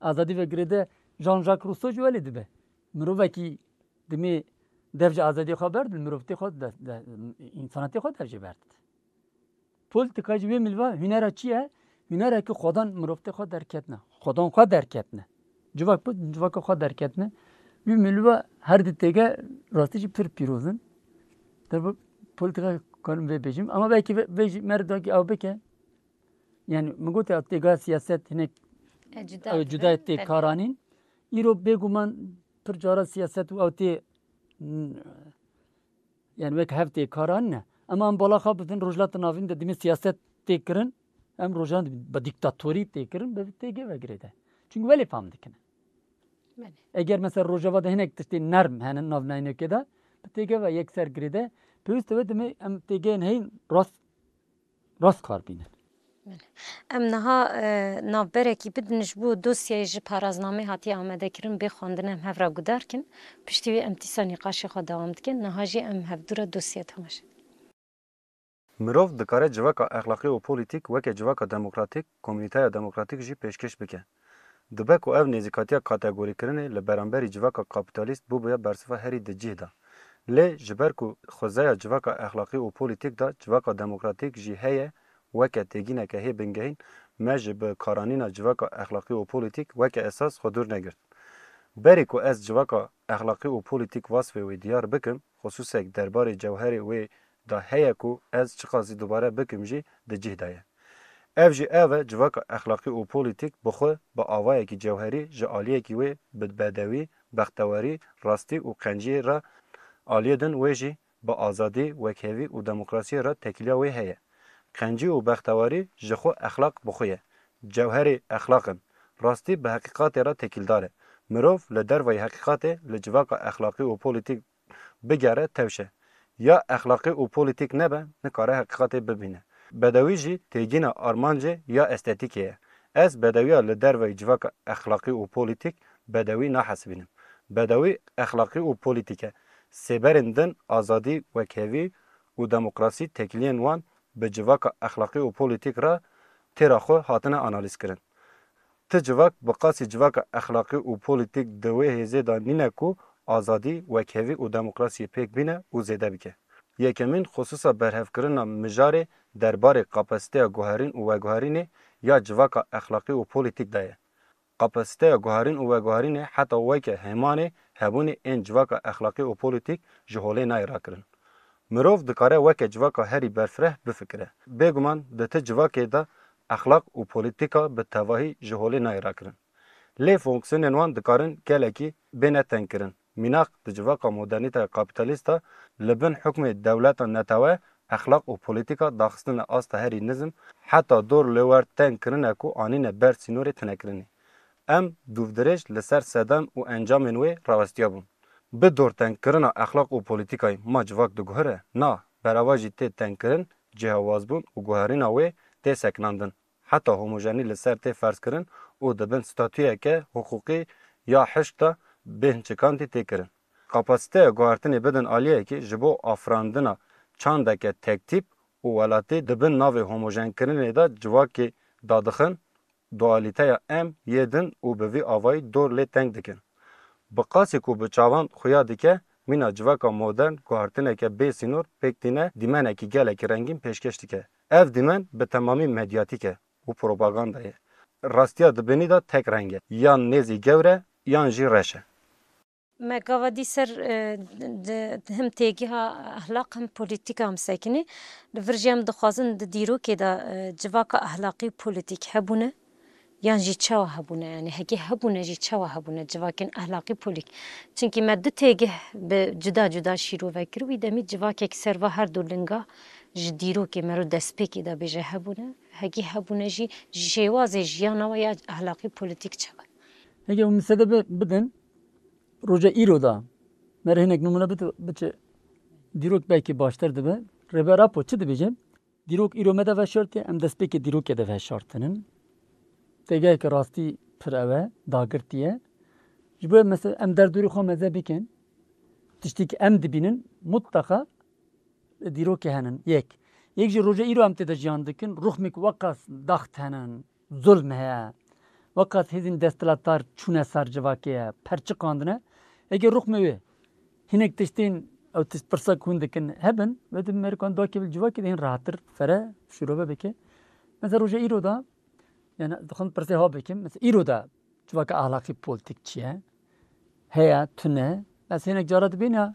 Azadî ve girêde Jean-Jacques Rousseau jî welê dibe. Mirovekî dimê dev ji azadiyê xwe berdin, mirov tê xwe de, de, însanetê xwe dev jê berdin. Politika jî wê milva hunera çi ye? Hunera ki xwedan mirov tê xwe derketine. Xwedan xwe derketine. Civak bi civaka xwe derketine. Wî milva her di têge rastî jî pir pîroz in. Tabi politika karim vê bêjim. Ama belkî vê, vê jî merdakî ew bike. Yani min gote têga siyaset hinek E, cuda ew dibe, cuda tê belê. Karanîn. Îro bêguman pir cara siyaset û ew tê, n-, yani wek hev tê karanîn e. Ama em bala xwe bidin Rojhilata Navîn de dimê siyaset tê kirin. Em rojan bi diktatorî tê kirin, bi têgê ve girêde. Çünkü welê fam dikin. Belê. Eger mesela Rojava de hinek tiştê nerm henin nav nayînokê de, bi têgê ve yekser girêde. Pêwîst e wê dimê em têgeyên heyn rast rast kar bînin. Belê. Em niha, e, navberekî bidin ji bo dosyayê ji paraznamê hatiye amadekirin bê xwendin em hev re guhdar kin. Piştî wê em dîsa nîqaşê xwe dewam dikin. Niha jî em hevdû re dosya temaşe dikin. Mirov dikare civaka exlaqî û polîtîk weke civaka demokratîk, komînîteya demokratîk jî pêşkêş bike. Dibe ku ev nêzîkatiya kategorîkirinê li beramberî civaka kapîtalîst bûbûye bersiva herî di cih de. Lê ji ber ku xuzeya civaka exlaqî û polîtîk de civaka demokratîk jî heye, weke têgîneke hê bingehîn, me ji bi karanîna civaka exlaqî û polîtîk weke esas xwe dûr negirt. Berî ku ez civaka exlaqî û polîtîk wasfê wê diyar bikim, xisûsek derbarê cewherê wê de heye ku ez çiqasî dubare bikim jî di cih de ye. Ev jî ev e, civaka exlaqî û polîtîk bi xwe bi avayekî cewherî ji aliyekî wê bi bedewî, bextewarî, rastî û qenciyê re aliyê din wê jî bi azadî, wekhevî û demokrasiyê re tekîliya wê heye. Qencî û bextewarî ji xwe exlaq bi xwe ye. Cewherê exlaq in. Rastî bi heqîqatê re tekîldar e. Mirov li derveyî heqîqatê li civaka exlaqî û polîtîk bigere tewşe. Ya exlaqî û polîtîk nebe, nikare heqîqatê bibîne. Bedewî jî têgîna armancê ya estetîkê ye. Ez bedewiya li derveyî civaka exlaqî û polîtîk bedewî nahesibînim. Bedewî exlaqî û polîtîk e. Sêberên din azadî, wekhevî û demokrasî tekiliyên wan bi civaka exlaqî û polîtîk re têra xwe hatine analîzkirin. Ti civak bi qasî civaka exlaqî û polîtîk di wê hêzê de nîne ku azadî, wekhevî û demokrasiyê pêk bîne û zêde bike. Yekemîn, xisûsa berhevkirina mijarê derbarê kapasiteya guherîn û veguherînê ya civaka exlaqî û polîtîk de ye. Kapasiteya guherîn û veguherînê heta weke hêmanê hebûnê ên civaka exlaqî û polîtîk ji holê nayê rakirin. Mirov dikare weke civaka herî berfireh bifikire. Bêguman di ti civakê de exlaq û polîtîka bi tevahî ji holê nayê rakirin. Lê fonksiyonên wan dikarin gelekî bêne tengkirin. Mînak di civaka modernîteya kapîtalîst de li bin hukmê dewleta netewe exlaq û polîtîka daxistine asta herî nizm, heta dor li wer teng kirine ku anîne ber sînorê tinekirinê. Em dûvdirêj li ser sedem û encamên wê rawestiyabûn. Bi dortengkirina exlaq û polîtîkayê ma civak diguhere? Na, bereva jî tê tengkirin, cihawazbûn û guherîna wê tê sekinandin. Heta homojenî li ser tê ferzkirin û di bin statuyeke hiqûqî ya hişk de bê hinçikandî tê kirin. Kapasiteya guhertinê bidin aliyekî ji bo afirandina çandeke tektîp û welatî di bin navê homojenkirinê de civakê dadixin, dualîteya em yê din û bi vî avayî dor lê teng dikin. Bi qasî ku bi çavan xuya dike, mîna civaka modern guhertineke bê sînor pêk tîne, dîmenekî gelekî rengîn pêşkêş dike. Ev dîmen bi temamî medyatîk e û propaganda ye. Rastiya di binî de tek reng e. Yan nêzî gewr e, yan jî reş e. Me gava dî ser, e, di, di him têgiha ehlaq him polîtîka em sekinî. Li vir jî em dixwazin di dîrokê de, e, civaka ehlaqî û polîtîk hebûne, yan jî çawa hebûne, yanî hekî hebûne jî çawa hebûne civakên ehlaqî polîk. Çimkî me du têgih bi cuda cuda şîrove kir, wî demî civakek ser va her du linga ji dîrokê mero destpêkê de bêje hebûne, hekî hebûne jî ji şêwazê jiyana we ya ehlaqî polîtîk çawa. Heke hûn min sedebe bidin, roja îro da, me re hinek nimûne bide, biçe dîrok belkî baştir dibe. Rêber Apo çi dibêje? Dîrok îro me de veşartiye, em destpêkê dîrokê de veşartinin. Têgeheke rastî pir ew e, dagirtî ye. Ji bo mesela em derdorê xwe meze bikin, tiştî ki em dibînin, mutleqa dîrokê henin. Yek. Yek jî roja îro em tê de jiyan dikin, ruxmêk weqas daxt henin, zulm heye. Weqas hêzên desthilatdar çûne ser civakê ye, perçiqandine. Eke ruxmê wê hinek tiştên ew tişt pirsa ku hûn dikin hebin, wê di merikan dakê bil civakê de hîn rahattir fere şîrove bike. Mesela roja îro da, yani dixwazim pirsê ha bikim. Mesela îro da civaka ahlakî polîtîk çi ye? Heye, tune. Ez hinek cara dibîne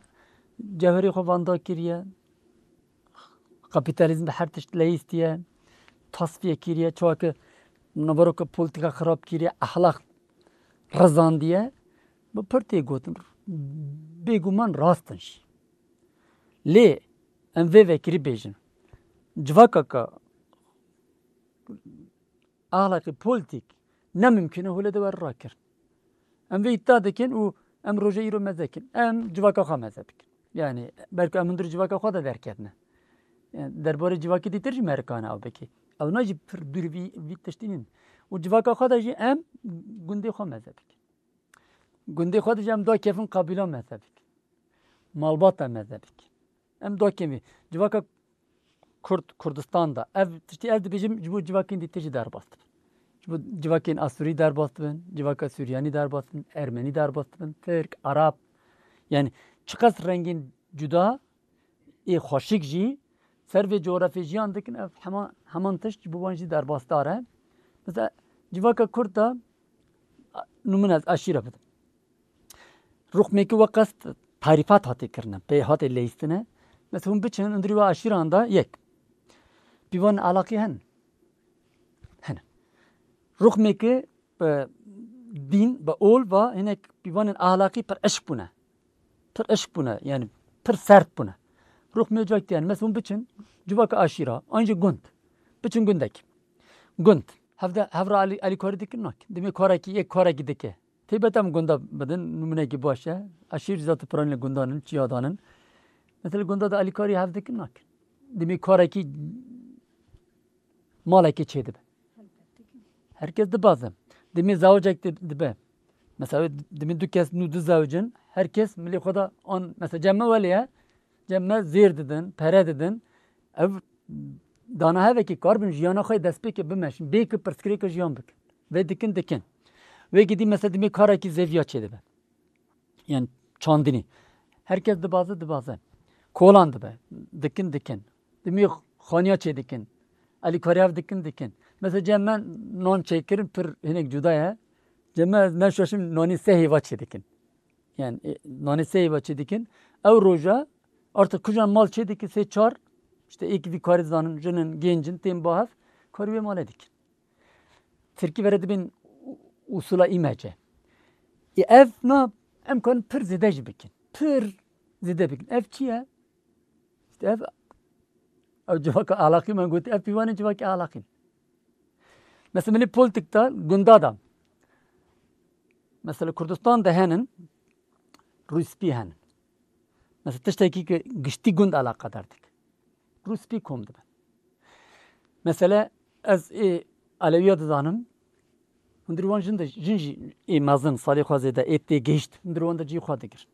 cewherê xwe vanda kiriye. Kapîtalîzm bi her tişt leyîstiye, tasfiye kiriye, çawa ki naveroka polîtîka xirab kiriye, ehlaq rizandiye. Bi pir tê gotin, bêguman rast in jî. Lê em vê vekirî bêjin. Civaka ka ahlakî polîtîk ne mimkun e holê de were rakirin. Em vê îddia dikin û em roja îro meze dikin. Em civaka xwe meze bikin. Yani belku em hundir civaka xwe de derketine. Yani derbarê civakê dîtir jî merikane ew bikê. Ew na jî pir dûr vî, vî tiştî nîn. Û civaka xwe de jî em gundê xwe meze bikin. Gundê xwe de jî em dakevin qabîla meze bikin. Malbata meze bikin. Em dakevin. Civaka Kurd, Kurdistan da. Ev tiştî ez dibêjim, ji bo civakên dîtir jî derbas dibin. Ji bo civakên Asûrî derbas dibin, civaka Suryanî derbas dibin, Ermenî derbas dibin, Tirk, Arab. Yani çiqas rengên cuda ê xweşik jî ser vê coğrafyê jiyan dikin, ev hema, heman tişt ji bo wan jî derbasdar e. Mesela civaka Kurd da, a, nimûne ez aşîra bidim. Ruxmêkî weqas tarîfat hatê kirine, pê hatê leyîstine. Mesela hûn biçin hundirî we aşîran da yek. Pîvanên alaqî hene. Hene. Ruxmêkî bi dîn, bi ol va hinek pîvanên ahlaqî pir eşq bûne. Pir eşq bûne, yani pir sert bûne. Ruxmê civak diyan, mesela hûn biçin, civaka aşîra, an jî gund. Biçin gundek. Gund. Hevde, hevra alî-, alîkarî dikin nakin. Dimê karekî, yek karekî dike. Taybet em gunda bidin, nimûnekî baş e. Aşîr zaten piranî li gundan in, çiya dan in. Mesela gunda da alîkarî hev dikin nakin. Dimê karekî malekê çêdibe. Herkes dibaze. Dimê zewicek di-, dibe. Mesela dimê du kes nû dizewicin, her kes milê xwe de an, mesela cem me welê ye, cem me zêr didin, pere didin. Ev dana hevekî karbin jiyana xwe destpêkê bimeşin, bê ki pirsgirêka jiyan bikin. Vê dikin dikin. Wê gidî mesela dimê karekî zêviya çêdibe. Yani çandinî. Herkes dibaze, dibaze. Kolan dibe. Dikin, dikin. Dimê xaniya çê dikin. Alîkariya dikin, dikin. Mesela cem me nan çêkirin pir hinek cuda ye. Cem me ez neşaşim nanî sê hêva çê dikin. Yani, e, nanî sê hêva çê dikin. Ew roja artık kujan mal çê dikin sê çar, işte êk vî karî zanin, jinin, gencin, tên bahev, karî wê malê dikin. Tirkî vere dibên u-, usula îmece. Ê ev na em karin pir zêde jî bikin. Pir zêde bikin. Ev çi ye? İşte ev, ev civaka alaqî me got, ev pîvanê civakê alaqîn. Mesela milî politik de gunda da. Mesela Kurdistan de henin, rûspî henin. Mesela tiştekî ki giştî gund eleqedar dike. Rûspî kom dibin. Mesela ez ê Elewiya dizanim, hundir wan jin de, jin jî ê mezin, salê xwe zêde, ê tê gehişt, hundir wan de cî xwe digirin.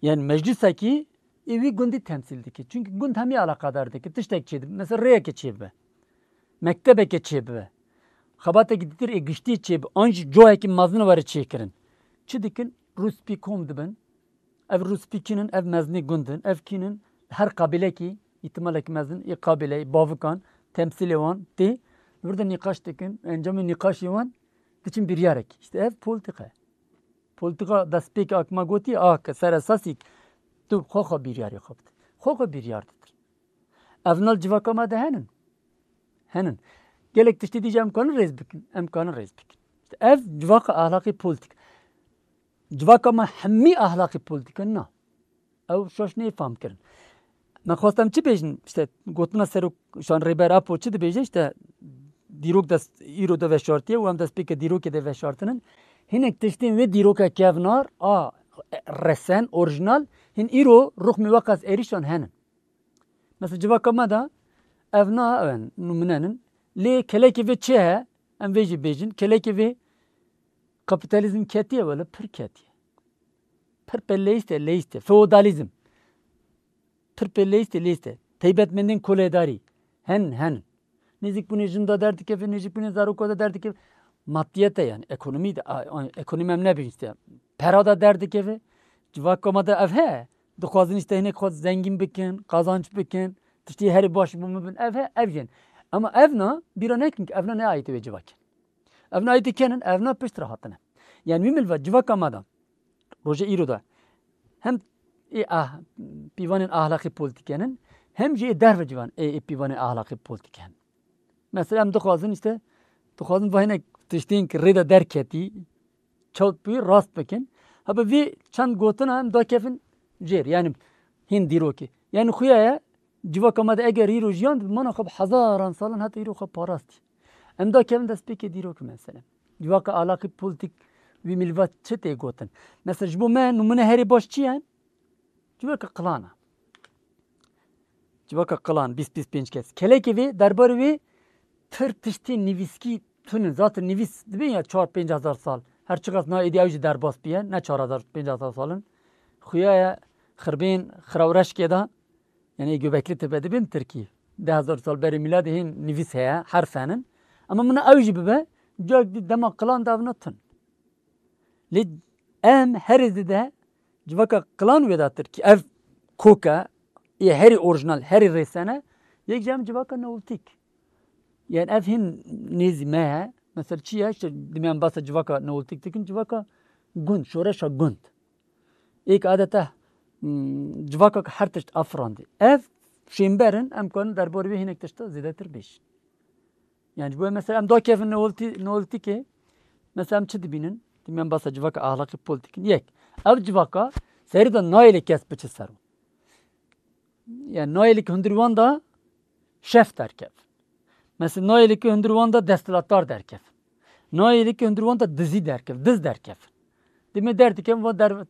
Yani meclisekî ê wî gundî temsîl dike. Çünkü gund hemî eleqedar dike. Tiştek çêdibe. Mesela rêyeke çêbibe. Mektebeke çêbibe. Xebatekî dîtir ê giştî çêbibe. An jî coyekî mezin were çêkirin. Çi dikin? Rûspî kom dibin. Ev rûspî kînin, ev mezinê gund in. Ev kînin? Her qabîlekî, îhtimalekî mezin, ê qabîleyê, bavikan, temsîlê wan tê. Li vir de nîqaş dikin. Encamê nîqaşê wan diçin biryarek. İşte ev polîtîka ye. Polîtîka destpêkê a me gotî, a ke ser esasî tu xwe xwe biryarê xwe bide. Xwe xwe biryar didir. Ev nal civaka me de henin. Henin. Gelek tiştê dî jî em kanin rêz bikin. Em kanin rêz bikin. İşte ev civaka ahlakî polîtîk. Civaka me hemî ahlakî polîtîk in, na. Ew şaş nê fam kirin. Me xwest em çi bêjin? İşte gotina serok şan Rêber Apo çi dibêje? İşte dîrok dest, îro de veşartiye û em destpêke dîrokê de veşartinin. Hinek tiştên wê dîroka kevnar a resen, orîjinal, hin îro ruxmî weqas êrîşan henin. Mesela civaka me de ev na, ew in, nûminenin. Lê kelekê vê çi he? Em vê jî bêjin. Kelekê vê kapîtalîzm ketiye wele, pir ketiye. Pir pê leyîst e, leyîst e. Feodalîzm. Pir pê leyîst e, leyîst e. Teybetmendên kolêdarî. Henin, henin. Nêzîkbûnê jin de derdikeve, nêzîkbûnê zaroka de derdikeve. Madiyet e yani, ekonomî de, a, a, ekonomî em nebêjin işte. Pera de derdikeve. Civaka me de ev he. Dixwazin işte hinek xwe zengîn bikin, qazanç bikin, tiştê herî baş bo min bin. Ev he, ev jin. Ama ev na, bîra nekin ki ev na ne ayîtê wê civakê. Ev na ayîtê kenin, ev na pişt re hatine. Yani wî milva civaka me de, rojê îro de, hem ê ah, pîvanên ahlakî polîtîk henin, hem jî ê derve civan ê, ê pîvanên ahlakî polîtîk henin. Mesela em dixwazin işte, dixwazin va hinek tiştên ki rê de derketî, çewt bûyî rast bikin. Hebe vî çend gotina em dakevin jêr, yani hîn dîrokê. Yani xuya ye, civaka me de eger îro jiyan, mana xwe bi hezaran salan heta îro xwe parastî. Em dakevin destpêkê dîrokê mesela. Civaka alaqî polîtîk wî milvat çi tê gotin? Mesela ji bo me nûmune herî baş çi ye? Civaka Qilan e. Civaka Qilan, bîst bîst pênc kes. Kelekê vê, derbarê wê pir tiştê nivîskî tune. Zaten nivîs dibên ya çar pênc hezar sal. Her çiqas na êdî ew jî derbas biye, ne çar hezar pênc hezar sal in. Xuya ye xirbên Xiraw Reşkê de, yani Göbekli Tepe dibên Tirkî. Deh hezar sal berê mîladê hên nivîs heye, herf henin. Ama min ew jî bibe, cak dî dema Qilan de ev ne tune. Lê em herî zêde civaka Qilan wê de tir ki ev koke, ê herî orîjinal, herî rêsene, yek ji em civaka Neolîtîk. Yani ev hîn nêzî me ye. Mesela çi ye? İşte, dimê em basa civaka Neolîtîk dikin, civaka gund, şoreşa gund. Êk adeta, hmm, civaka ki her tişt afirandî. Ev şênber in, em karin derbarê wê hinek tişta zêdetir bêjin. Yani ji bo mesela em dakevin Neolîtî-, Neolîtîkê, mesela em çi dibînin? Dibînin em basa civaka ahlakî polîtîk in. Yek, ev civaka serî de nayê lê kes biçe ser wan. Yani nayê lê ki hundir wan de şef derkev. Mesela nayê lê ki hundir wan de desthilatdar derkev. Nayê lê ki hundir wan de dizî derkev, diz derkev. Dibînin derdikevin va der-,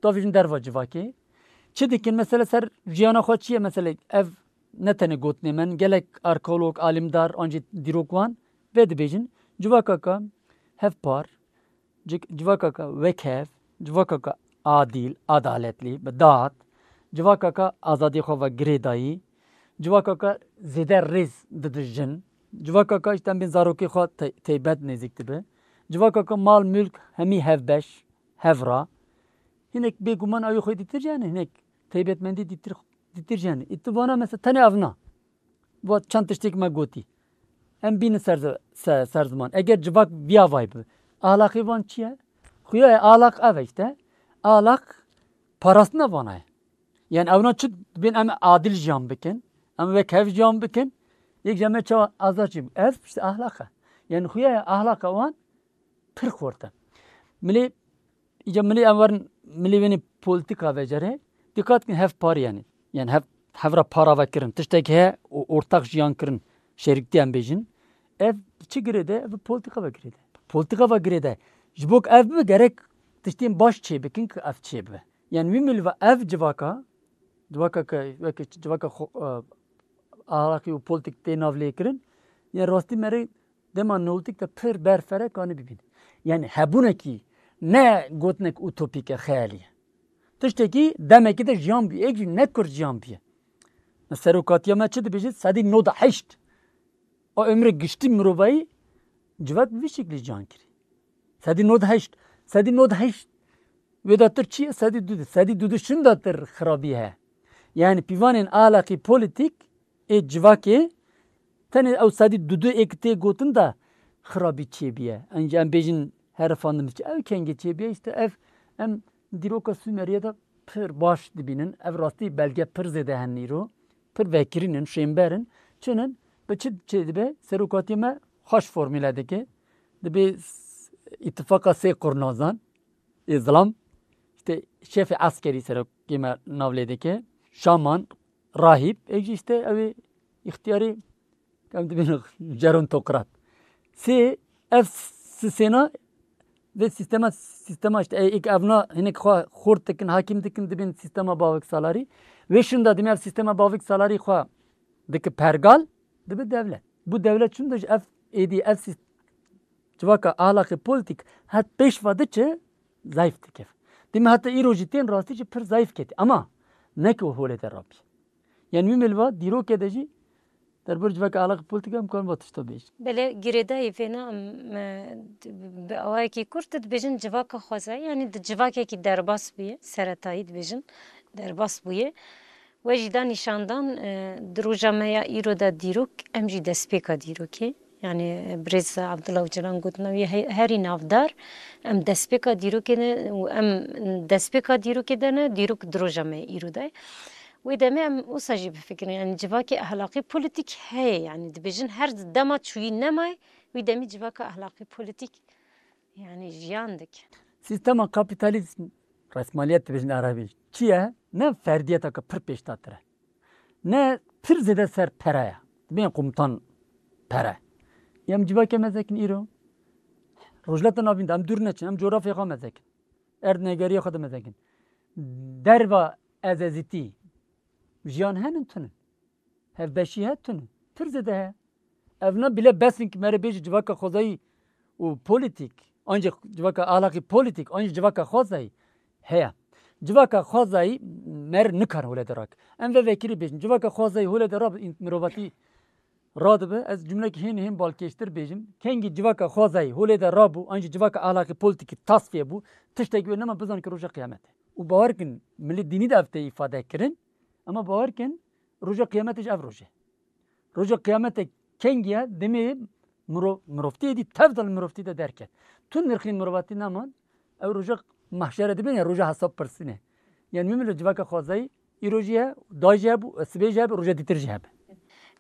davêjin derva civakê. Çi dikin? Mesela ser jiyana xwe çi ye? Mesela ev ne tenê gotinê me, gelek arkeolog, alîmdar, an jî dîrok wan vê dibêjin. Civakaka hevpar, cik-, civakaka wekhev, civakaka adîl, adaletlî, bi dad, civakaka azadiyê xwe ve girêdayî, civakaka zêde rêz dide jin, civakaka işte em bên zarokê xwe te-, teybet nêzîk dibe, civakaka mal, mülk hemî hevbeş, hevra. Hinek bêguman ew xwe dîtir jî hene, hinek teybetmendî dîtir, dîtir jî hene. Î tu vana mesela tenê ev na. Va çend tiştêk me gotî. Em bînin ser zi-, se-, ser ziman. Eger civak viya vay bi. Ahlaqê van çi ye? Xuya ye ahlaq ev e işte. Ahlaq parastina vana ye. Yani ewna çi dibên em adil jiyan bikin. Em wek hev jiyan bikin. Yek ji em çawa azad jî. Ev işte ahlaq e. Yani xuya ye ahlaqa wan pir xurt e. Milê, îca milê em werin, milê wênê polîtîka vecerê, dîqat kin hevparî yani. Yani hev, hevra para vekirin. Tiştek heye û ortak jiyan kirin, şerîktî em bêjin. Ev çi girêde? Ev polîtîka ve girêde. Polîtîka ve girêde. Ji bo ku ev bibe gerek tiştên baş çêbikin ku ev çêbibe. Yani wî milva ev civaka, civaka ke weke civaka xo-, e, ahlakî û polîtîk tê navlêkirin, yani rastî merê dema neolîtîk de pir ber fere kanî bibîne. Yani hebûnekî ne gotinek utopîk e, xeyalî ye. Tiştekî demekî de jiyan bûye, êk jî ne kurt jiyan bûye. Me serokatiya me çi dibêje? Sedî nod heşt. O ömrê giştî mirovayî civak bi vî şeklî jiyan kirî. Sedî nod heşt. Sedî nod heşt. Wê de tir çi ye? Sedî du. Sedî du şin de tir xirabî heye. Yani pîvanên ahlakî polîtîk ê civakê tenê ew sedî du êk tê gotin de xirabî çêbiye. Enca em bêjin herifandin diçe. Ew kengê çêbiye? Îşte ev em dîroka Sûmeriyê de pir baş dibînin. Ev rastî belge pir zêde hene îro. Pir vekirîn in, şênber in. Çi ne? Bi çi çêdibe? Serokatiyê me xweş formîle dike. Dibê s-, îtifaqa sê qurnazan ê zilam. Îşte şefê eskerî serokê me nav lê dike. Şaman, rahîb, êk jî îşte ew ê îxtiyarê, em dibên jerontokrat. Sê, ev sisêna vê sîstema, sîstema îşte ê-, êk evna hinek xwe xurt dikin, hakîm dikin, dibên sîstema bavik salarî. Wê şin de dimê ev sîstema bavik salarî xwe dike pergal, dibe dewlet. Bu dewlet çûn de ji ev êdî, ev sîst-, civaka ahlakê polîtîk het pêş ve diçe, zayıf dike. Dimê heta îro jî tên rastî jî pir zayıf ketî. Ama ne ki holê de rabî. Yani wî milva dîrokê de jî derbor civaka ahlakê polîtîk em karin va tişta bêjin. Belê girêdayî vêna em, e, bi awayekî kurt dibêjin civaka xwezayî, yani di civakekî derbas bûye, seretayî dibêjin derbas bûye. We jî da nîşandan, e, di roja me ya îro de dîrok, em jî destpêka dîrokê. Yani, e, birêz Abdullah Ocalan gotina wî he-, herî navdar, em destpêka dîrokê ne û em destpêka dîrokê de ne, dîrok di roja me ya îro de. Wê demê em wisa jî bifikirin, yani civakê ahlaqî polîtîk heye, yani dibêjin her dema çûyî nemayê, wî demî civaka ahlaqî polîtîk, yani jiyan dike. Sîstema kapîtalîzm, resmaliyet dibêjin erebî, çi ye? Ne ferdiyeteke pir pêşdatir e. Ne pir zêde ser pere ye. Dibên komutan pere. Em civakê mezekin îro. Rojhilata Navîn de em dûr neçin, em coğrafya xwe mezekin. Erdnegeriya xwe de mezekin. Derva ezezîtî jiyan henin tune. Hevbeşî he tune. Pir zêde he. Ev ne bile besin ki mere bêjî civaka xwezayî û polîtîk, ancî civaka ahlaqî polîtîk, ancî civaka xwezayî heye. Civaka xwezayî mer nikar holê de rak. Em ve vekirî bêjin. Civaka xwezayî holê de rab mirovatî radibe. Ez cumlekî hên hên balkêştir bêjim. Kengî civaka xwezayî holê de rabû, ancî civaka ahlaqî polîtîkî tasfiye bû. Tiştekî wê nema bizan ki roja qiyamete. Û bawer kin, milî dînî de ev tê îfade kirin. Ama bawer kin, roja qiyamete ji ev roje. Roja qiyamete kengî ye, demê miro-, mirovtî êdî tev de li mirovtî de derket. Tu nirxî mirovatî neman, ew roja mahşere dibên ya roja hesab pirsîne. Yani min li civaka xwezayî îro jî ye, da jî hebû, sibê jî hebe, roja dîtir jî hebe.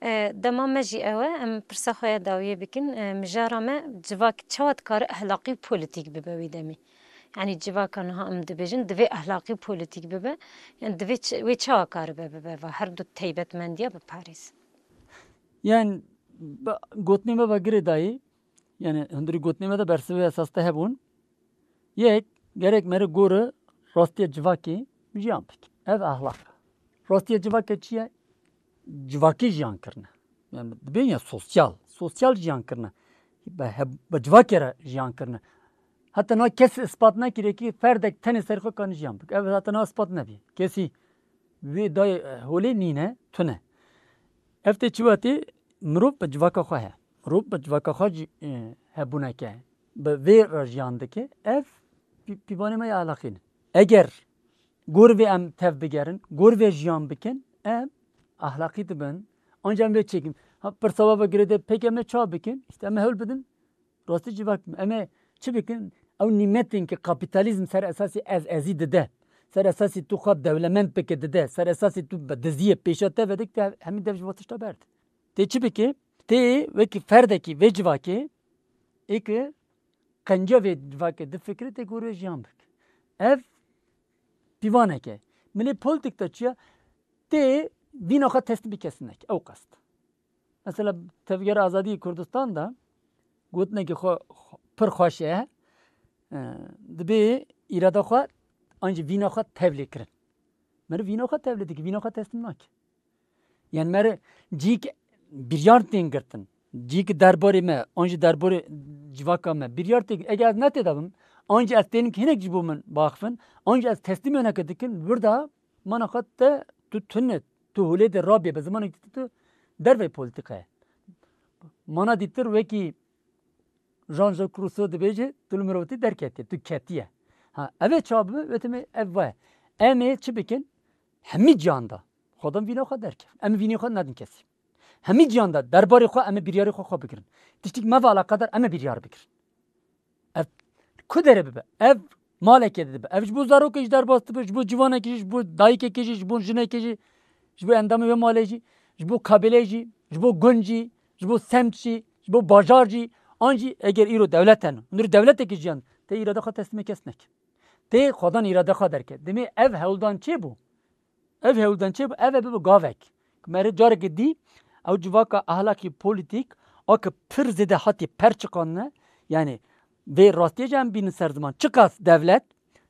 E, dema me jî ew e, em pirsa xwe ya dawiyê bikin. E, mijara me civak çawa dikare ehlaqî û polîtîk bibe wî demî? Yani civaka niha em dibêjin, divê ehlaqî û polîtîk bibe. Yani divê ç-, wê çawa karibe bibe va her du teybetmendiya biparêz? Yani, be-, gotinê me ve girêdayî, yani hundirî gotinê me de bersivê esas te hebûn. Yek, gerek mere gore rastiya civakê jiyan bike. Ev ahlak e. Rastiya civakê çi ye? Civakî jiyan kirine. Yani dibên ya sosyal, sosyal jiyan kirine. Be, he, be civakê re jiyan kirine. Heta niha kes ispat nekiriye ki ferdek tenê ser xwe kane jiyan bike. Ev heta niha ispat nebî. Kesî vê dayê, e, holê nîne, tune. Ev tê çi wetê? Mirov bi civaka xwe heye. Mirov bi civaka xwe jî, e, hebûneke. Bi vê re jiyan dike. Ev pî-, pîvanê me ya ahlaqî ne. Eger gor vê em tev bigerin, gor vê jiyan bikin, em ahlaqî dibin. Ancak em vê çêkin. Ha, pirsa we ve girêdayî, pêk em ê çawa bikin? Îşte em ê hewl bidin. Rastî civak em ê çi bikin? Ew nîmetên ki kapîtalîzm ser esasî ez ezî dide, ser esasî tu xwe dewlemend bike dide, ser esasî tu bi diziyê pêşa te vedik, te hemî dev ji bo tişta berde. Tê çi bike? Tê wekî ferdekî vê civakê, ê ki qenca vê civakê difikire, tê gor wê jiyan bike. Ev pîvaneke. Milê polîtîk de çi ye? Tê vîna xwe teslîmî kesî neke. Ew qest. Mesela Tevgera Azadî Kurdistan de gotinekî xwe, xwe, pir xweş e. E, dibê îrada xwe an jî vîna xwe tevlê kirin. Meriv vîna xwe tevlê dike, vîna xwe teslîm nake. Yani meriv cîk biryar tên girtin. Cîk derbarê me, an jî derbarê civaka me biryar tê, eger ez ne tê de bim, an jî ez tênim hinek ji bo min baxifin, an jî ez teslîmê hineke dikin, wirda mana xwe te tu tune, tu holê de rabê, bi zimanekî tu dervey polîtîkayê. Mana dîtir wekî Jean-Jacques Rousseau dibêje, tu li mirovîtî derketiye, tu ketiye. Ha, ev ê çawa bibe? Wê demê ev va ye. Em ê çi bikin? Hemî cihan de xwedan vîna xwe derkevin. Em ê vînê xwe nedin kesî. Hemî cihan de derbarê xwe em ê biryarê xwe xwe bigirin. Tiştik me ve eleqedar em ê biryar bigirin. Ev ku derê bibe? Ev malekê de dibe. Ev ji bo zarokê jî derbas dibe, ji bo civanekê jî, ji bo dayikekê jî, ji bo jinekê jî, ji bo endamê wê malê jî, ji bo kabîlê jî, ji bo gund jî, ji bo semt jî, ji bo bajar jî, an jî eger îro dewlet hene, hundir dewletekî jiyan, tê îrada xwe teslîmê kes neke. Tê xwedan îrada xwe derke. Demê ev hewldan çê bû? Ev hewldan çê bû? Ev ê bibe gavek. Ku me rê carekê dî, ew civaka ahlakî polîtîk, a ku pir zêde hatî perçiqandine, yani vê rastiyê jî em bînin ser ziman. Çiqas dewlet,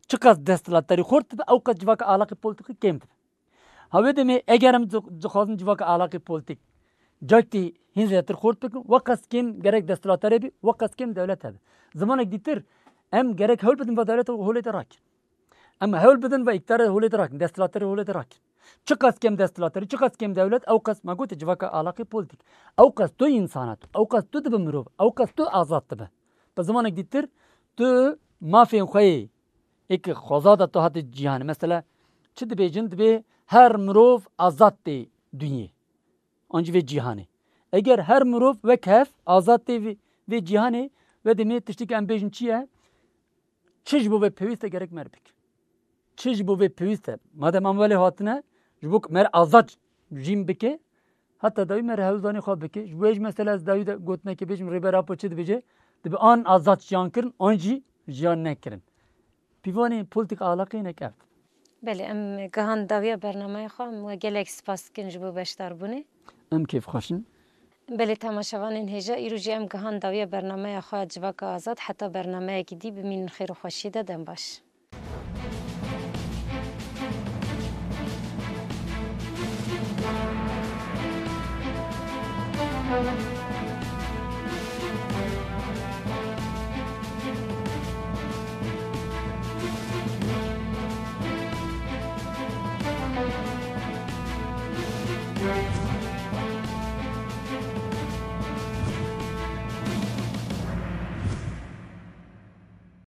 çiqas desthilatdarî xurt dibe, ew qas civaka ahlakî polîtîkî kêm dibe. Ha wê demê eger em di-, dixwazin civaka ahlakî polîtîk caktî hîn zêdetir xurt bikin, weqas kêm gerek desthilatdarê bî, weqas kêm dewlet hebe. Zimanek dîtir, em gerek hewl bidin va dewlet holê de rakin. Em hewl bidin va îktidarê holê de rakin, desthilatdarê holê de rakin. Çiqas kêm desthilatdarî, çiqas kêm dewlet, ew qas me gote civaka ahlakî polîtîk. Ew qas tu însan e, ew qas tu dibe mirov, ew qas tu azad dibe. Bi zimanek dîtir, tu mafên xwe yê ê ki xweza de tu hate cîhanê. Mesela çi dibêjin? Dibê her mirov azad tê dinyê. An jî vê cîhanê. Eger her mirov wek hev azad tê vê, vê cîhanê, wê demê tiştekî em bêjin çi ye? Çi ji bo vê pêwîst e gerek me re bike. Çi ji bo vê pêwîst e? Madem em welê hatine, ji bo me re azad jîn bike, heta dawî me re hewldanê xwe bike. Ji bo hêj mesela ez dawî de gotinekê bêjim, Rêber Apo çi dibêje? Dibe an azad jiyan kirin, an jî jiyan nekirin. Pîvanê polîtîk ahlaqê hinek ev. Belê, em gihan dawiya bernameya xwe, em we gelek spas dikin ji bo beşdarbûnê. Em kêfxweş in. Belê, temaşevanên hêja, îro jî em gihan dawiya bernameya xwe Civaka Azad, heta bernameyekî dî bimînin xêr û xweşiyê de, dem baş.